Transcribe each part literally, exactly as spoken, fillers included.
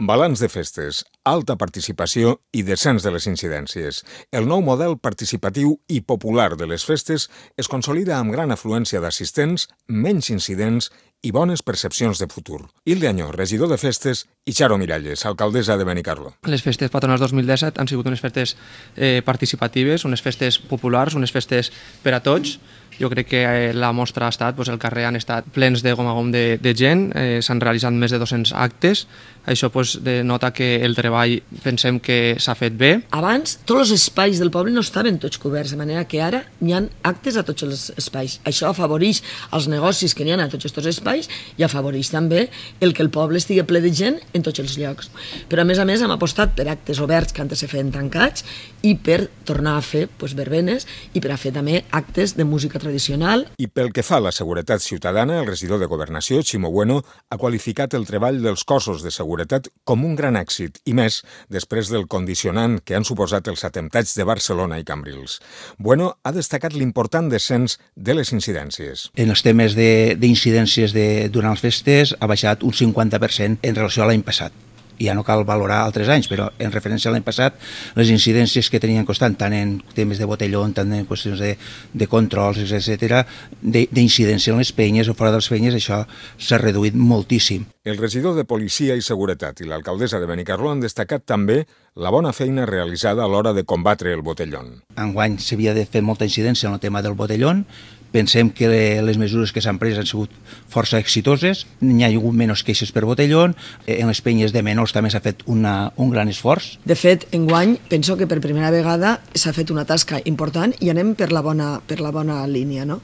Balanç de festes, alta participació i descens de les incidències. El nou model participatiu i popular de les festes es consolida amb gran afluència d'assistents, menys incidents i bones percepcions de futur. Hilde Añó, regidor de festes, i Charo Miralles, alcaldessa de Benicarló. Les festes patronals dos mil disset han sigut unes festes eh, participatives, unes festes populars, unes festes per a tots. Jo crec que eh, la mostra ha estat, doncs el carrer han estat plens de gom a gom de, de gent, eh, s'han realitzat més de dos-cents actes, això doncs, denota que el treball pensem que s'ha fet bé. Abans tots els espais del poble no estaven tots coberts, de manera que ara n'hi ha actes a tots els espais. Això afavoreix els negocis que n'hi ha a tots aquests espais i afavoreix també el que el poble estigui ple de gent en tots els llocs. Però a més a més hem apostat per actes oberts que antes se feien tancats i per tornar a fer doncs, verbenes i per a fer també actes de música tradicional. I pel que fa a la seguretat ciutadana, el regidor de Governació, Ximo Bueno, ha qualificat el treball dels cossos de seguretat com un gran èxit, i més després del condicionant que han suposat els atemptats de Barcelona i Cambrils. Bueno ha destacat l'important descens de les incidències. En els temes d'incidències de, de, durant les festes ha baixat un cinquanta per cent en relació a l'any passat. Ja no cal valorar altres anys, però en referència a l'any passat, les incidències que tenien constant, tant en temes de botelló, tant en qüestions de, de controls, etcètera, d'incidència en les penyes o fora de les penyes, això s'ha reduït moltíssim. El regidor de Policia i Seguretat i l'alcaldessa de Benicarló han destacat també la bona feina realitzada a l'hora de combatre el botellón. Enguany s'havia de fer molta incidència en el tema del botellón. Pensem que les mesures que s'han pres han sigut força exitoses, n'hi ha hagut menys queixes per botellón, en les penyes de menors també s'ha fet una, un gran esforç. De fet, enguany penso que per primera vegada s'ha fet una tasca important i anem per la bona, per la bona línia. No?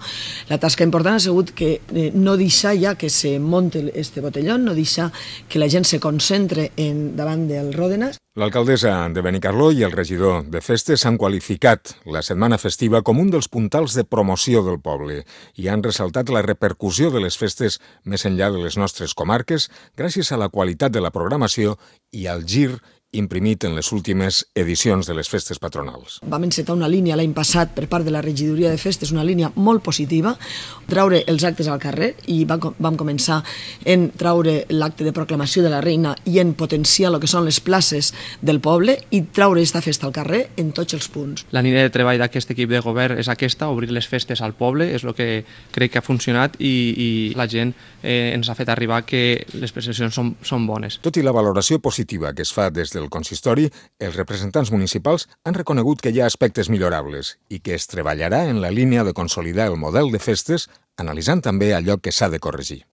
La tasca important ha sigut que eh, no deixar ja que se monte este botellón, no deixar que la gent se concentre en, davant del Ròdenas. L'alcaldessa de Benicarló i el regidor de festes han qualificat la setmana festiva com un dels puntals de promoció del poble i han ressaltat la repercussió de les festes més enllà de les nostres comarques gràcies a la qualitat de la programació i al gir imprimit en les últimes edicions de les festes patronals. Vam encetar una línia l'any passat per part de la regidoria de festes, una línia molt positiva, traure els actes al carrer i vam començar en traure l'acte de proclamació de la reina i en potenciar el que són les places del poble i traure aquesta festa al carrer en tots els punts. La línia de treball d'aquest equip de govern és aquesta, obrir les festes al poble, és el que crec que ha funcionat i, i la gent eh, ens ha fet arribar que les percepcions són, són bones. Tot i la valoració positiva que es fa des del consistori, els representants municipals han reconegut que hi ha aspectes millorables i que es treballarà en la línia de consolidar el model de festes, analitzant també allò que s'ha de corregir.